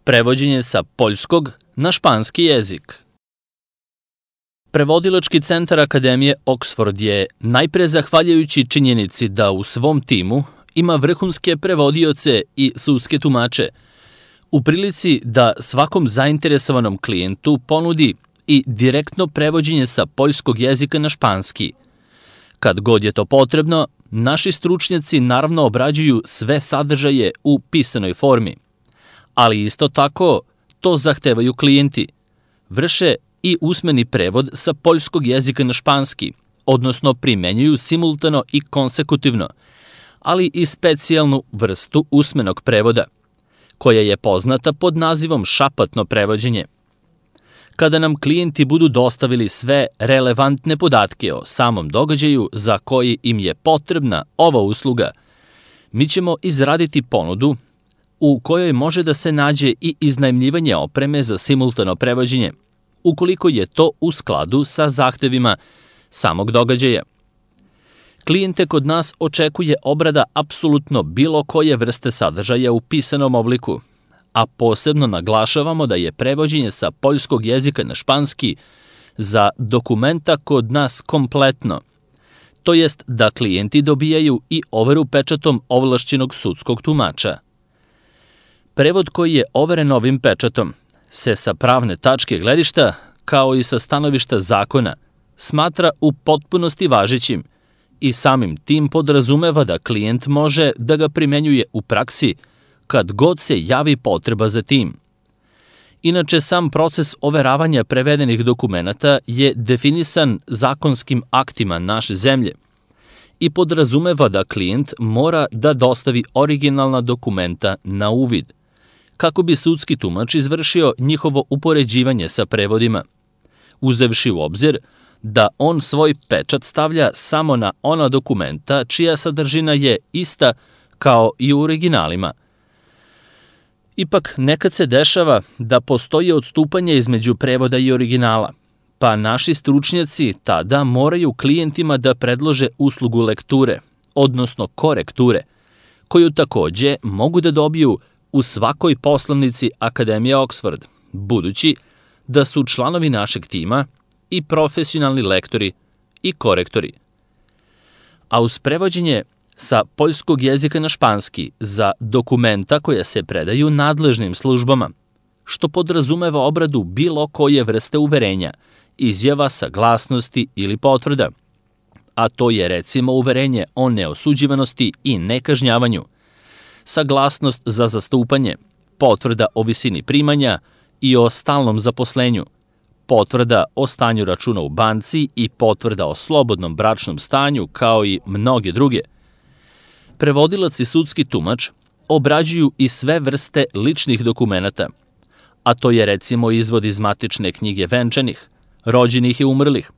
Prevođenje sa poljskog na španski jezik. Prevodilački centar Akademije Oxford je, najpre zahvaljujući činjenici da u svom timu ima vrhunske prevodioce i sudske tumače, u prilici da svakom zainteresovanom klijentu ponudi i direktno prevođenje sa poljskog jezika na španski. Kad god je to potrebno, naši stručnjaci naravno obrađuju sve sadržaje u pisanoj formi, ali isto tako to zahtevaju klijenti. Vrše i usmeni prevod sa poljskog jezika na španski, odnosno primenjuju simultano i konsekutivno, ali i specijalnu vrstu usmenog prevoda, koja je poznata pod nazivom šapatno prevođenje. Kada nam klijenti budu dostavili sve relevantne podatke o samom događaju za koji im je potrebna ova usluga, mi ćemo izraditi ponudu u kojoj može da se nađe i iznajmljivanje opreme za simultano prevođenje, ukoliko je to u skladu sa zahtevima samog događaja. Klijente kod nas očekuje obrada apsolutno bilo koje vrste sadržaja u pisanom obliku, a posebno naglašavamo da je prevođenje sa poljskog jezika na španski za dokumenta kod nas kompletno, to jest da klijenti dobijaju i overu pečatom ovlašćenog sudskog tumača. Prevod koji je overen ovim pečatom se sa pravne tačke gledišta, kao i sa stanovišta zakona, smatra u potpunosti važećim i samim tim podrazumeva da klijent može da ga primenjuje u praksi kad god se javi potreba za tim. Inače, sam proces overavanja prevedenih dokumenata je definisan zakonskim aktima naše zemlje i podrazumeva da klijent mora da dostavi originalna dokumenta na uvid, kako bi sudski tumač izvršio njihovo upoređivanje sa prevodima, uzevši u obzir da on svoj pečat stavlja samo na ona dokumenta čija sadržina je ista kao i u originalima. Ipak, nekad se dešava da postoji odstupanje između prevoda i originala, pa naši stručnjaci tada moraju klijentima da predlože uslugu lekture, odnosno korekture, koju takođe mogu da dobiju u svakoj poslovnici Akademije Oxford, budući da su članovi našeg tima i profesionalni lektori i korektori. A uz prevođenje sa poljskog jezika na španski za dokumenta koja se predaju nadležnim službama, što podrazumeva obradu bilo koje vrste uverenja, izjava, saglasnosti ili potvrda, a to je recimo uverenje o neosuđivanosti i nekažnjavanju, saglasnost za zastupanje, potvrda o visini primanja i o stalnom zaposlenju, potvrda o stanju računa u banci i potvrda o slobodnom bračnom stanju, kao i mnoge druge. Prevodilac i sudski tumač obrađuju i sve vrste ličnih dokumenata, a to je recimo izvod iz matične knjige venčanih, rođenih i umrlih,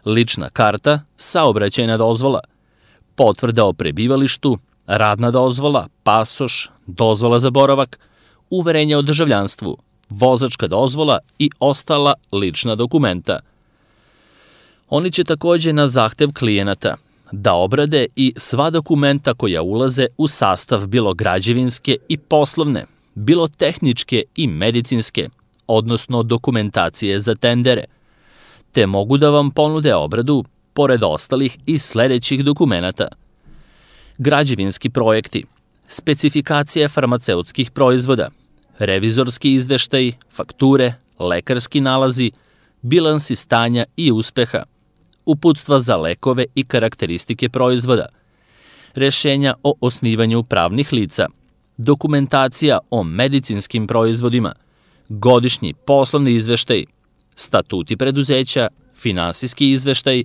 lična karta, saobraćajna dozvola, potvrda o prebivalištu, radna dozvola, pasoš, dozvola za boravak, uverenje o državljanstvu, vozačka dozvola i ostala lična dokumenta. Oni će takođe na zahtev klijenata da obrade i sva dokumenta koja ulaze u sastav bilo građevinske i poslovne, bilo tehničke i medicinske, odnosno dokumentacije za tendere, te mogu da vam ponude obradu, pored ostalih i sledećih dokumenata: građevinski projekti, specifikacije farmaceutskih proizvoda, revizorski izveštaj, fakture, lekarski nalazi, bilansi stanja i uspeha, uputstva za lekove i karakteristike proizvoda, rešenja o osnivanju pravnih lica, dokumentacija o medicinskim proizvodima, godišnji poslovni izveštaj, statuti preduzeća, finansijski izveštaj,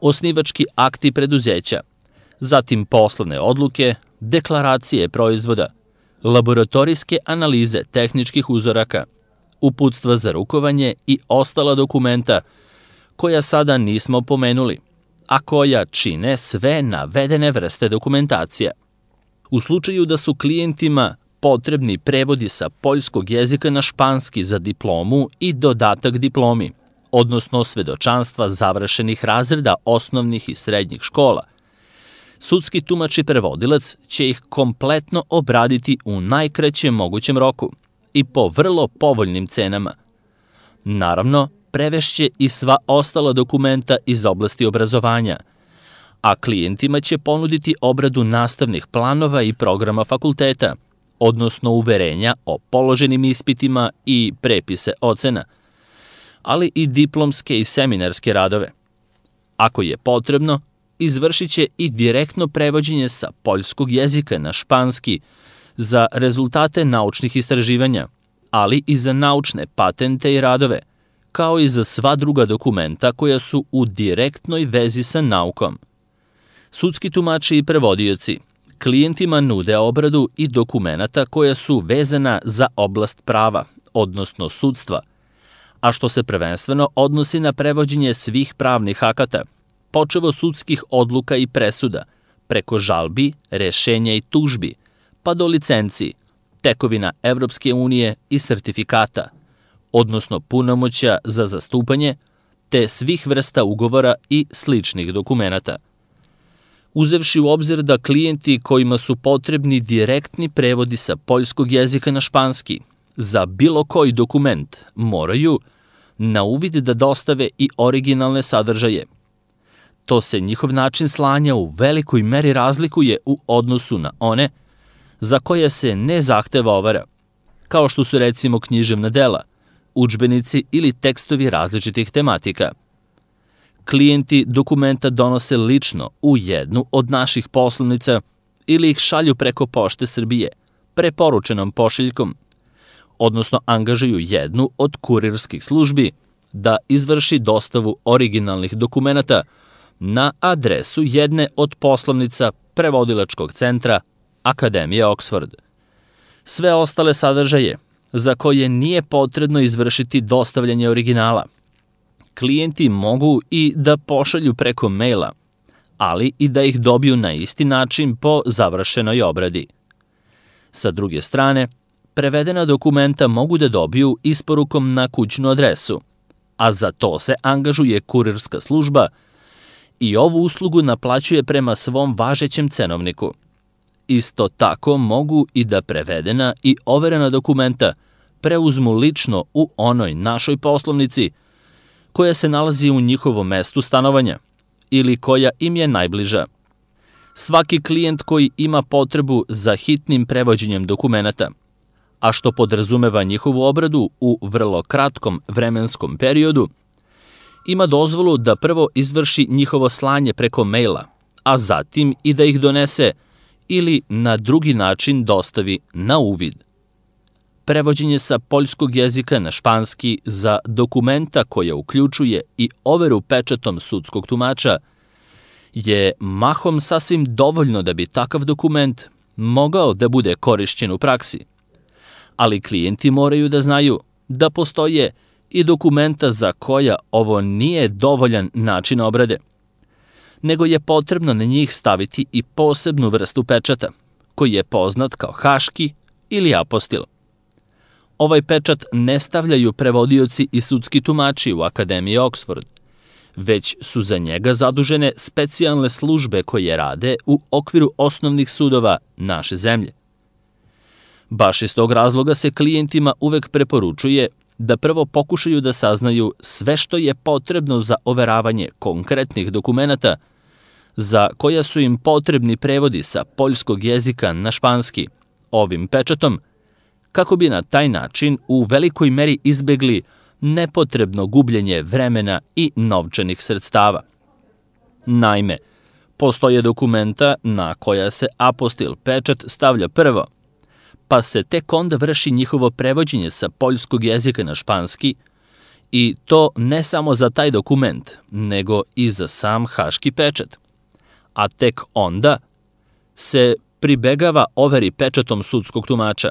osnivački akti preduzeća, zatim poslovne odluke, deklaracije proizvoda, laboratorijske analize tehničkih uzoraka, uputstva za rukovanje i ostala dokumenta koja sada nismo pomenuli, a koja čine sve navedene vrste dokumentacija. U slučaju da su klijentima potrebni prevodi sa poljskog jezika na španski za diplomu i dodatak diplomi, odnosno svedočanstva završenih razreda osnovnih i srednjih škola, sudski tumač i prevodilac će ih kompletno obraditi u najkraćem mogućem roku i po vrlo povoljnim cenama. Naravno, prevešće i sva ostala dokumenta iz oblasti obrazovanja, a klijentima će ponuditi obradu nastavnih planova i programa fakulteta, odnosno uverenja o položenim ispitima i prepise ocena, ali i diplomske i seminarske radove. Ako je potrebno, izvršit će i direktno prevođenje sa poljskog jezika na španski za rezultate naučnih istraživanja, ali i za naučne patente i radove, kao i za sva druga dokumenta koja su u direktnoj vezi sa naukom. Sudski tumači i prevodioci klijentima nude obradu i dokumenata koja su vezana za oblast prava, odnosno sudstva, a što se prvenstveno odnosi na prevođenje svih pravnih akata, počevo sudskih odluka i presuda, preko žalbi, rešenja i tužbi, pa do licenci, tekovina Evropske unije i sertifikata, odnosno punomoćja za zastupanje, te svih vrsta ugovora i sličnih dokumenata. Uzevši u obzir da klijenti kojima su potrebni direktni prevodi sa poljskog jezika na španski za bilo koji dokument moraju na uvid da dostave i originalne sadržaje. To se njihov način slanja u velikoj meri razlikuje u odnosu na one za koje se ne zahteva overa, kao što su recimo književna dela, udžbenici ili tekstovi različitih tematika. Klijenti dokumenta donose lično u jednu od naših poslovnica ili ih šalju preko Pošte Srbije, preporučenom pošiljkom, odnosno angažuju jednu od kurirskih službi da izvrši dostavu originalnih dokumenata na adresu jedne od poslovnica prevodilačkog centra Akademije Oxford. Sve ostale sadržaje za koje nije potrebno izvršiti dostavljanje originala, klijenti mogu i da pošalju preko maila, ali i da ih dobiju na isti način po završenoj obradi. Sa druge strane, prevedena dokumenta mogu da dobiju isporukom na kućnu adresu, a za to se angažuje kurirska služba i ovu uslugu naplaćuje prema svom važećem cenovniku. Isto tako mogu i da prevedena i overena dokumenta preuzmu lično u onoj našoj poslovnici koja se nalazi u njihovom mestu stanovanja ili koja im je najbliža. Svaki klijent koji ima potrebu za hitnim prevođenjem dokumenata, a što podrazumeva njihovu obradu u vrlo kratkom vremenskom periodu, ima dozvolu da prvo izvrši njihovo slanje preko maila, a zatim i da ih donese ili na drugi način dostavi na uvid. Prevođenje sa poljskog jezika na španski za dokumenta koja uključuje i overu pečatom sudskog tumača je mahom sasvim dovoljno da bi takav dokument mogao da bude korišćen u praksi. Ali klijenti moraju da znaju da postoje i dokumenta za koja ovo nije dovoljan način obrade, nego je potrebno na njih staviti i posebnu vrstu pečata, koji je poznat kao haški ili apostil. Ovaj pečat ne stavljaju prevodioci i sudski tumači u Akademiji Oxford, već su za njega zadužene specijalne službe koje rade u okviru osnovnih sudova naše zemlje. Baš iz tog razloga se klijentima uvek preporučuje da prvo pokušaju da saznaju sve što je potrebno za overavanje konkretnih dokumenata za koja su im potrebni prevodi sa poljskog jezika na španski ovim pečatom, kako bi na taj način u velikoj meri izbegli nepotrebno gubljenje vremena i novčanih sredstava. Naime, postoje dokumenta na koja se apostil pečat stavlja prvo, pa se tek onda vrši njihovo prevođenje sa poljskog jezika na španski, i to ne samo za taj dokument, nego i za sam haški pečat. A tek onda se pribegava overi pečatom sudskog tumača.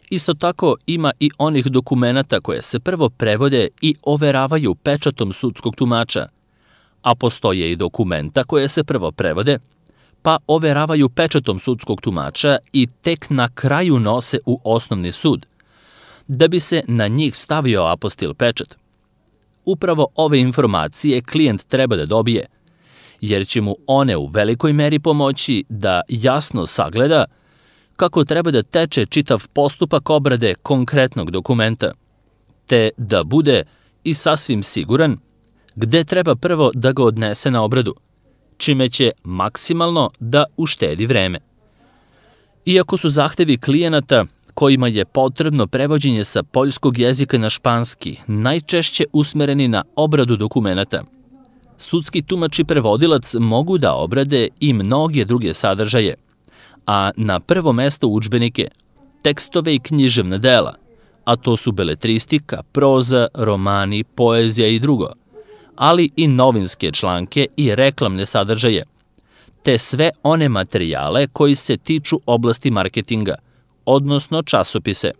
Isto tako ima i onih dokumenata koje se prvo prevode i overavaju pečatom sudskog tumača, a postoje i dokumenta koje se prvo prevode, pa overavaju pečatom sudskog tumača i tek na kraju nose u osnovni sud, da bi se na njih stavio apostil pečat. Upravo ove informacije klijent treba da dobije, jer će mu one u velikoj meri pomoći da jasno sagleda kako treba da teče čitav postupak obrade konkretnog dokumenta, te da bude i sasvim siguran gde treba prvo da ga odnese na obradu, čime će maksimalno da uštedi vreme. Iako su zahtevi klijenata kojima je potrebno prevođenje sa poljskog jezika na španski najčešće usmereni na obradu dokumenata, sudski tumač i prevodilac mogu da obrade i mnoge druge sadržaje, a na prvo mesto udžbenike, tekstove i književna dela, a to su beletristika, proza, romani, poezija i drugo, ali i novinske članke i reklamne sadržaje, te sve one materijale koji se tiču oblasti marketinga, odnosno časopise.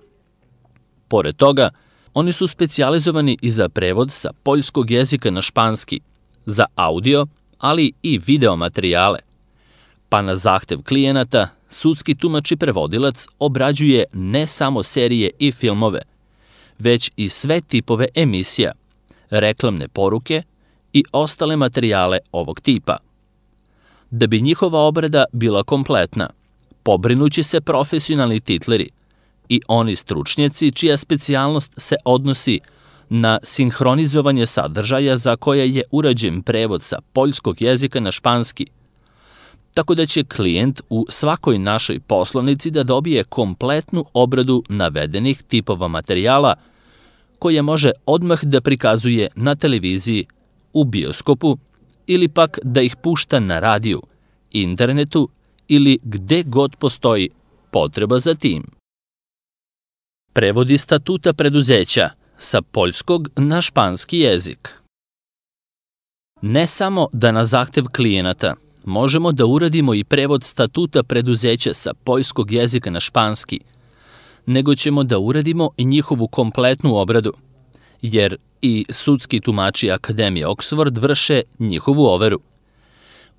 Pored toga, oni su specijalizovani i za prevod sa poljskog jezika na španski, za audio, ali i video materijale. Pa na zahtev klijenata, sudski tumač i prevodilac obrađuje ne samo serije i filmove, već i sve tipove emisija, reklamne poruke i ostale materijale ovog tipa. Da bi njihova obrada bila kompletna, pobrinući se profesionalni titleri i oni stručnjaci čija specijalnost se odnosi na sinhronizovanje sadržaja za koje je urađen prevod sa poljskog jezika na španski, tako da će klijent u svakoj našoj poslovnici da dobije kompletnu obradu navedenih tipova materijala koje može odmah da prikazuje na televiziji, u bioskopu ili pak da ih pušta na radiju, internetu ili gde god postoji potreba za tim. Prevodi statuta preduzeća sa poljskog na španski jezik. Ne samo da na zahtev klijenata možemo da uradimo i prevod statuta preduzeća sa poljskog jezika na španski, nego ćemo da uradimo i njihovu kompletnu obradu, jer i sudski tumači Akademije Oxford vrše njihovu overu.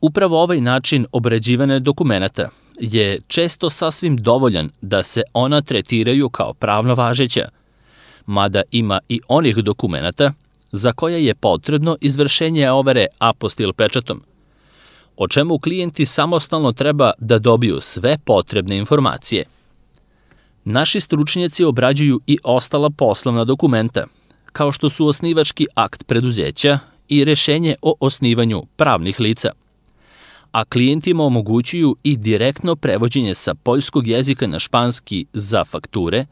Upravo ovaj način obrađivanja dokumenata je često sasvim dovoljan da se ona tretiraju kao pravno važeća, mada ima i onih dokumenata za koje je potrebno izvršenje overe apostil pečatom, o čemu klijenti samostalno treba da dobiju sve potrebne informacije. Naši stručnjaci obrađuju i ostala poslovna dokumenta, kao što su osnivački akt preduzeća i rešenje o osnivanju pravnih lica, a klijentima omogućuju i direktno prevođenje sa poljskog jezika na španski za fakture,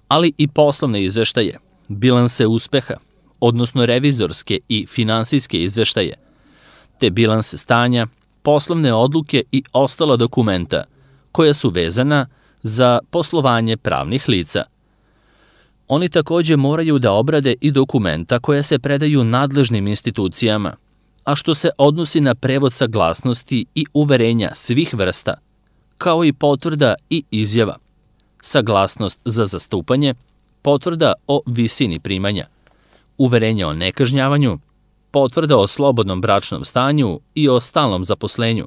ali i poslovne izveštaje, bilanse uspeha, odnosno revizorske i finansijske izveštaje, te bilanse stanja, poslovne odluke i ostala dokumenta koja su vezana za poslovanje pravnih lica. Oni takođe moraju da obrade i dokumenta koja se predaju nadležnim institucijama, a što se odnosi na prevod saglasnosti i uverenja svih vrsta, kao i potvrda i izjava, saglasnost za zastupanje, potvrda o visini primanja, uverenje o nekažnjavanju, potvrda o slobodnom bračnom stanju i o stalnom zaposlenju,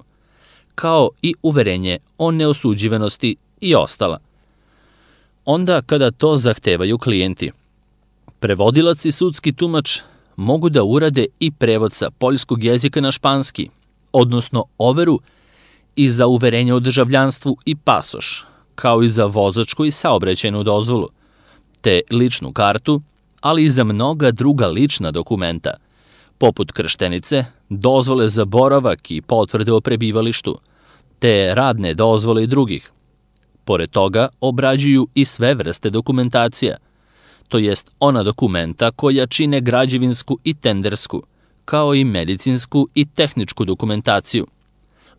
kao i uverenje o neosuđivanosti i ostala. Onda kada to zahtevaju klijenti, prevodilac i sudski tumač mogu da urade i prevod sa poljskog jezika na španski, odnosno overu i za uverenje o državljanstvu i pasoš, kao i za vozačku i saobraćajnu dozvolu, te ličnu kartu, ali i za mnoga druga lična dokumenta, poput krštenice, dozvole za boravak i potvrde o prebivalištu, te radne dozvole i drugih. Pored toga, obrađuju i sve vrste dokumentacija, to jest ona dokumenta koja čine građevinsku i tendersku, kao i medicinsku i tehničku dokumentaciju,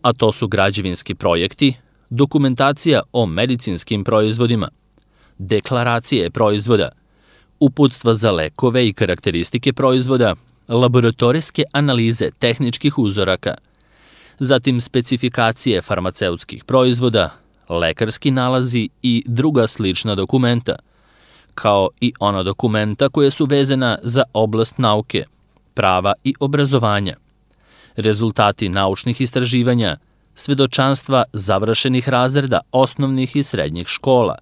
a to su građevinski projekti, dokumentacija o medicinskim proizvodima, deklaracije proizvoda, uputstva za lekove i karakteristike proizvoda, laboratorijske analize tehničkih uzoraka, zatim specifikacije farmaceutskih proizvoda, lekarski nalazi i druga slična dokumenta, kao i ona dokumenta koja su vezana za oblast nauke, prava i obrazovanja, rezultati naučnih istraživanja, svedočanstva završenih razreda osnovnih i srednjih škola,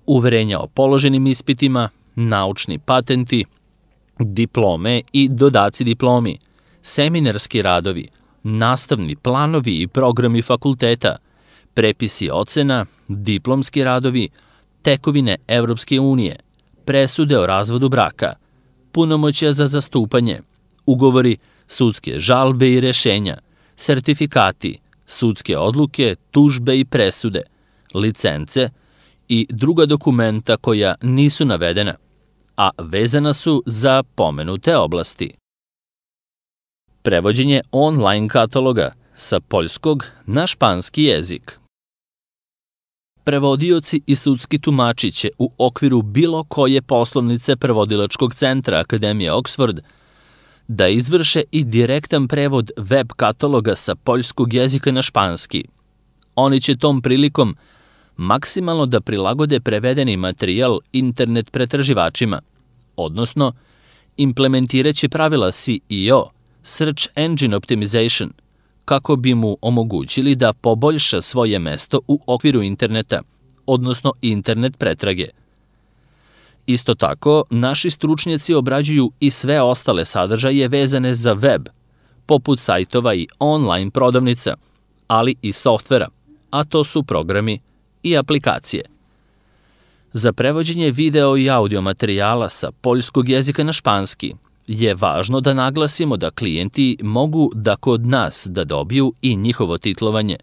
uverenja o položenim ispitima, naučni patenti, diplome i dodaci diplomi, seminarski radovi, nastavni planovi i programi fakulteta, prepisi ocena, diplomski radovi, tekovine Evropske unije, presude o razvodu braka, punomoćja za zastupanje, ugovori, sudske žalbe i rešenja, sertifikati, sudske odluke, tužbe i presude, licence i druga dokumenta koja nisu navedena, a vezana su za pomenute oblasti. Prevođenje online kataloga sa poljskog na španski jezik. Prevodioci i sudski tumači će u okviru bilo koje poslovnice prevodilačkog centra Akademije Oxford da izvrše i direktan prevod web kataloga sa poljskog jezika na španski. Oni će tom prilikom maksimalno da prilagode prevedeni materijal internet pretraživačima, odnosno implementiraće pravila SEO, Search Engine Optimization, kako bi mu omogućili da poboljša svoje mesto u okviru interneta, odnosno internet pretrage. Isto tako, naši stručnjaci obrađuju i sve ostale sadržaje vezane za web, poput sajtova i online prodavnica, ali i softvera, a to su programi i aplikacije. Za prevođenje video i audio materijala sa poljskog jezika na španski je važno da naglasimo da klijenti mogu da kod nas da dobiju i njihovo titlovanje,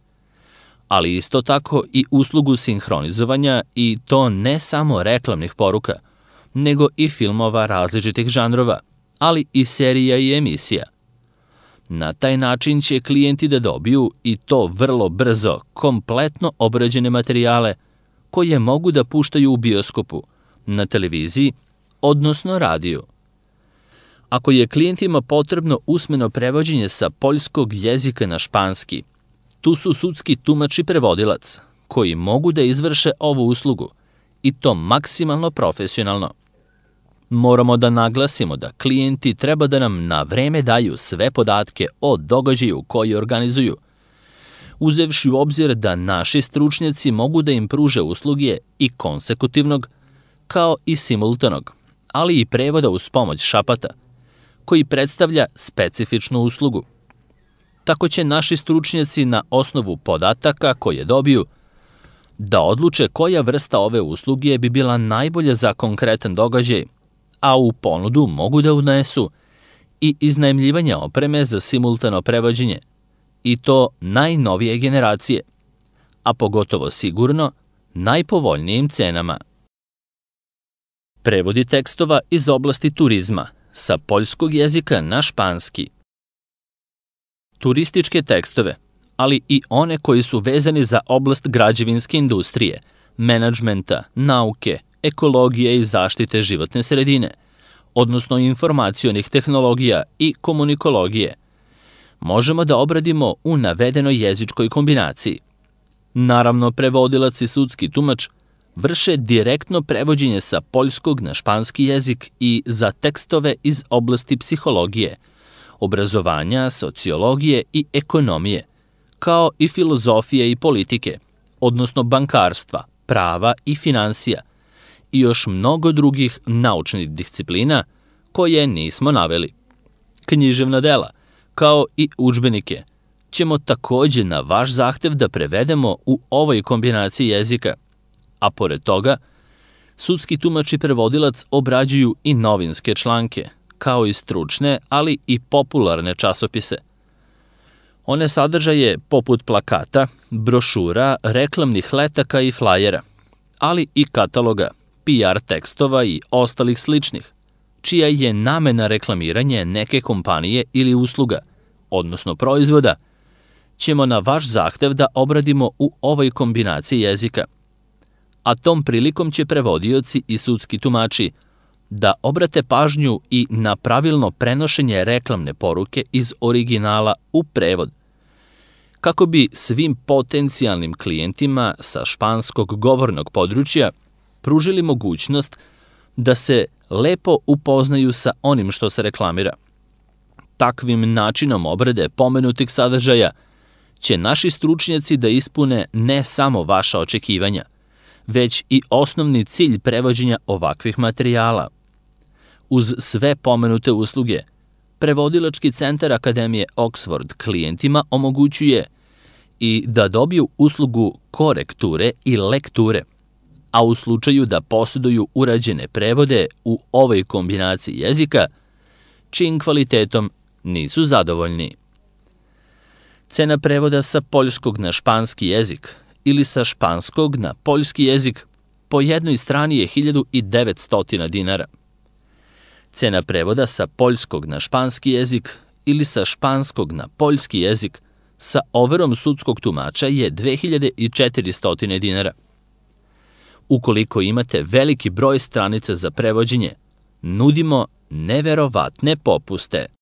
ali isto tako i uslugu sinhronizovanja i to ne samo reklamnih poruka, nego i filmova različitih žanrova, ali i serija i emisija. Na taj način će klijenti da dobiju i to vrlo brzo kompletno obrađene materijale koje mogu da puštaju u bioskopu, na televiziji, odnosno radiju. Ako je klijentima potrebno usmeno prevođenje sa poljskog jezika na španski, tu su sudski tumač i prevodilac, koji mogu da izvrše ovu uslugu, i to maksimalno profesionalno. Moramo da naglasimo da klijenti treba da nam na vreme daju sve podatke o događaju koji organizuju, uzevši u obzir da naši stručnjaci mogu da im pruže usluge i konsekutivnog, kao i simultanog, ali i prevoda uz pomoć šapata, koji predstavlja specifičnu uslugu. Tako će naši stručnjaci na osnovu podataka koje dobiju da odluče koja vrsta ove usluge bi bila najbolja za konkretan događaj, a u ponudu mogu da unesu i iznajmljivanje opreme za simultano prevođenje, i to najnovije generacije, a pogotovo sigurno najpovoljnijim cenama. Prevodi tekstova iz oblasti turizma sa poljskog jezika na španski. Turističke tekstove, ali i one koji su vezani za oblast građevinske industrije, menadžmenta, nauke, ekologije i zaštite životne sredine, odnosno informacionih tehnologija i komunikologije, možemo da obradimo u navedenoj jezičkoj kombinaciji. Naravno, prevodilac i sudski tumač vrše direktno prevođenje sa poljskog na španski jezik i za tekstove iz oblasti psihologije, obrazovanja, sociologije i ekonomije, kao i filozofije i politike, odnosno bankarstva, prava i finansija, i još mnogo drugih naučnih disciplina koje nismo naveli. Književna dela, kao i udžbenike, ćemo takođe na vaš zahtev da prevedemo u ovoj kombinaciji jezika, a pored toga, sudski tumač i prevodilac obrađuju i novinske članke, kao i stručne, ali i popularne časopise. One sadržaje poput plakata, brošura, reklamnih letaka i flajera, ali i kataloga, PR tekstova i ostalih sličnih, čija je namena reklamiranje neke kompanije ili usluga, odnosno proizvoda, ćemo na vaš zahtev da obradimo u ovoj kombinaciji jezika. A tom prilikom će prevodioci i sudski tumači da obrate pažnju i na pravilno prenošenje reklamne poruke iz originala u prevod, kako bi svim potencijalnim klijentima sa španskog govornog područja pružili mogućnost da se lepo upoznaju sa onim što se reklamira. Takvim načinom obrade pomenutih sadržaja će naši stručnjaci da ispune ne samo vaša očekivanja, već i osnovni cilj prevođenja ovakvih materijala. Uz sve pomenute usluge, prevodilački centar Akademije Oxford klijentima omogućuje i da dobiju uslugu korekture i lekture, a u slučaju da posjeduju urađene prevode u ovoj kombinaciji jezika, čijim kvalitetom nisu zadovoljni. Cena prevoda sa poljskog na španski jezik ili sa španskog na poljski jezik po jednoj strani je 1900 dinara. Cena prevoda sa poljskog na španski jezik ili sa španskog na poljski jezik sa overom sudskog tumača je 2400 dinara. Ukoliko imate veliki broj stranica za prevođenje, nudimo neverovatne popuste.